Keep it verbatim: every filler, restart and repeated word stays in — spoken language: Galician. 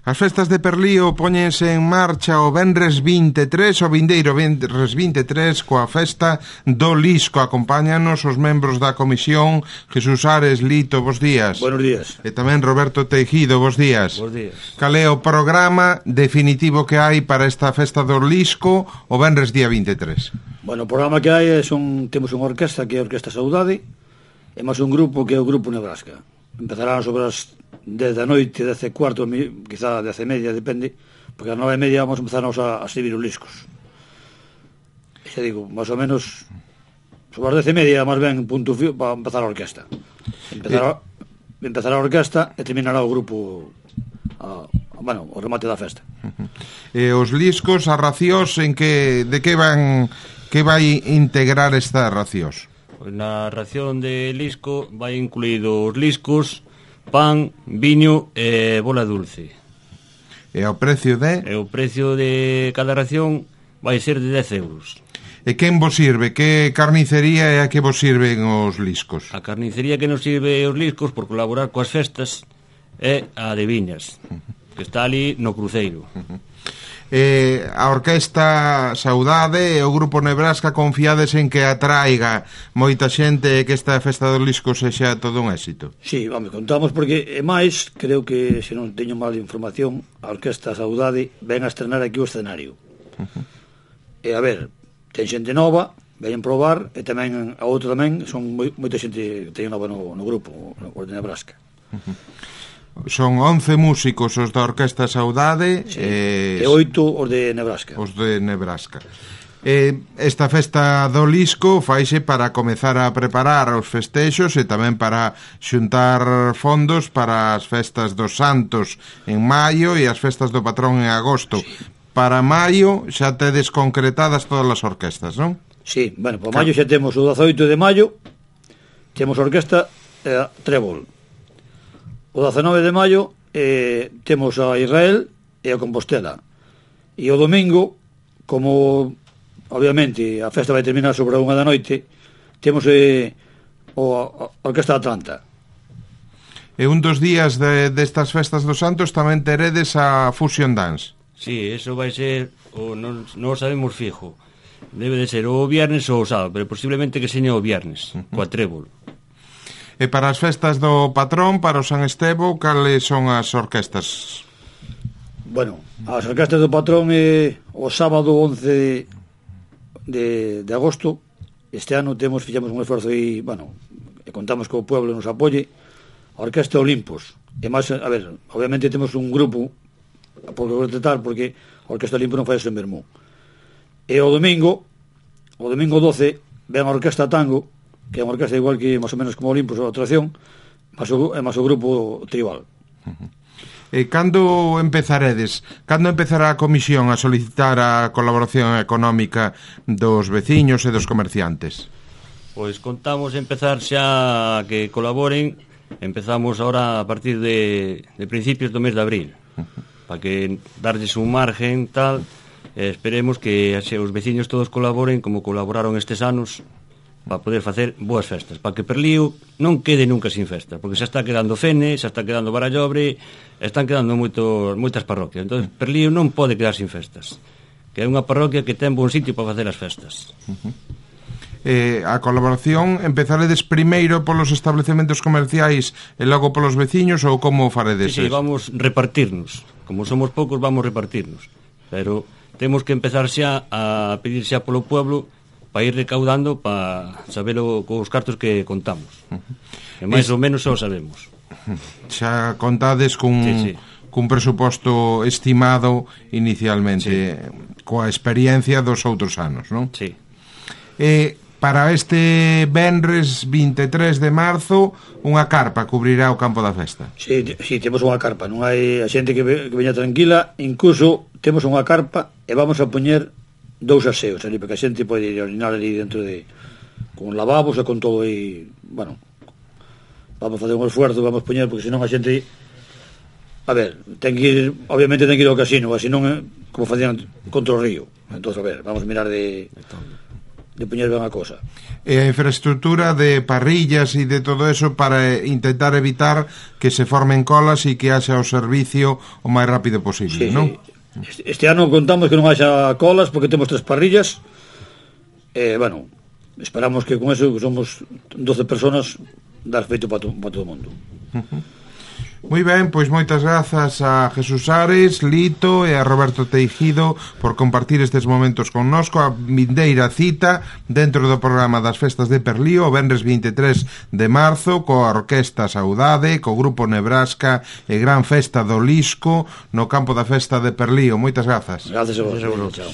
As festas de Perlío póñense en marcha o venres vinte e tres, o vindeiro venres vinte e tres, coa festa do Lisco. Acompáñanos os membros da comisión. Jesús Ares, Lito, bos días. Buenos días. E tamén Roberto Teijido, bos días. Bos días. Cal é o programa definitivo que hai para esta festa do Lisco o venres día vinte e tres? Bueno, o programa que hai son, temos unha orquesta que é a Orquesta Saudade e máis un grupo que é o Grupo Nebraska. Empezarán sobre as dez da noite, dez e cuarto, quizá dez e media, depende, porque a nove e media vamos a empezarnos a, a servir os liscos. E xa digo, máis ou menos sobre as dez e media, máis ben, punto fío, para empezar a orquesta. Empezará, eh... empezará a orquesta e terminará o grupo a, a, bueno, o remate da festa. E os liscos, as racións, en que, de que van, que vai integrar estas racións? Na ración de lisco vai incluído os liscos, pan, viño e bola dulce. E o precio de? E o precio de cada ración vai ser de dez euros. E quen vos sirve? Que carnicería é a que vos sirven os liscos? A carnicería que nos sirve os liscos por colaborar coas festas é a de Viñas, que está ali no cruceiro. Eh, a Orquesta Saudade e o Grupo Nebraska confiades en que atraiga moita xente e que esta festa do Lisco sexa todo un éxito? Sí, vamos, contamos porque é máis, creo que se non teño mal información, a Orquesta Saudade ven a estrenar aquí o escenario. Uh-huh. E a ver, ten xente nova, veñen probar, e tamén a outra tamén son moi, moita xente que teñen nova no, no grupo, no de Nebraska. Uh-huh. Son once músicos os da Orquesta Saudade, sí, e oito os de Nebraska. Os de Nebraska. E esta festa do Lisco faise para comezar a preparar os festexos e tamén para xuntar fondos para as festas dos Santos en maio e as festas do Patrón en agosto. Sí. Para maio xa tedes concretadas todas as orquestas, non? Sí, bueno, para maio xa temos o dezaoito de maio, temos a orquesta eh, Trébol. O dezenove de maio eh, temos a Israel e a Compostela. E o domingo, como obviamente a festa vai terminar sobre a unha da noite, temos eh, o, a Orquesta Atlanta. E un dos días de, destas festas dos Santos tamén teredes a Fusion Dance. Sí, eso vai ser, o non, non sabemos fijo. Debe de ser o viernes ou o sábado, pero posiblemente que seña o viernes, uh-huh. coa Trébol. E para as festas do Patrón, para o San Estevo, cales son as orquestas? Bueno, as orquestas do Patrón é o sábado once de, de agosto. Este ano temos, fixemos un esforzo e, bueno, e contamos que o pueblo nos apoie, a Orquesta Olimpos. E máis, a ver, obviamente temos un grupo por tratar, porque a Orquesta Olimpos non fai eso en Bermú. E o domingo, o domingo doce, ven a Orquesta Tango, que é unha orquesta igual que máis ou menos como Olimpos ou a atracción, máis o, máis o grupo tribal. Uh-huh. E cando empezaredes? Cando empezará a comisión a solicitar a colaboración económica dos veciños e dos comerciantes? Pois contamos empezar xa que colaboren. Empezamos ahora a partir de, de principios do mes de abril, uh-huh. para que darlles un margen tal, e esperemos que xe, os veciños todos colaboren como colaboraron estes anos, para poder facer boas festas, para que Perlío non quede nunca sin festa, porque xa está quedando Fene, xa está quedando Barallobre, están quedando moito, moitas parroquias. Entón, Perlío non pode quedar sin festas, que é unha parroquia que ten bon sitio para facer as festas. Uh-huh. Eh, a colaboración empezaredes primeiro polos establecementos comerciais e logo polos veciños, ou como faredes? Sí, sí, vamos repartirnos, como somos poucos vamos repartirnos, pero temos que empezar xa a pedir xa polo pueblo para ir recaudando para saberlo cos cartos que contamos. Uh-huh. E máis es... ou menos xa o sabemos. Xa contades cun, sí, sí. cun presuposto estimado inicialmente, sí. coa experiencia dos outros anos, non? Sí. Eh, para este venres vinte e tres de marzo, unha carpa cubrirá o campo da festa. Sí, sí, temos unha carpa, non hai a xente que, ve, que veña tranquila, incluso temos unha carpa e vamos a poñer dous aseos ali, porque a xente pode ir a orinar ali dentro de, con lavabos e con todo aí, bueno, vamos a fazer un esfuerzo, vamos a poñer, porque senón a xente, a ver, ten que ir, obviamente ten que ir ao casino, así non, como facían contra o río. Entón, a ver, vamos a mirar de de poñer ben a cosa. E a infraestructura de parrillas e de todo eso para intentar evitar que se formen colas e que haxa o servicio o máis rápido posible, Sí, non? sí. Este ano contamos que non haxa colas porque temos tres parrillas. E, eh, bueno, esperamos que con eso, que somos doce personas, dar feito para, to, para todo o mundo. Uh-huh. Moi ben, pois moitas grazas a Jesús Ares, Lito e a Roberto Teijido por compartir estes momentos connosco. A vindeira cita dentro do programa das festas de Perlío o venres vinte e tres de marzo coa Orquesta Saudade, co Grupo Nebraska e Gran Festa do Lisco no campo da festa de Perlío. Moitas grazas. Grazas a vos. Chao.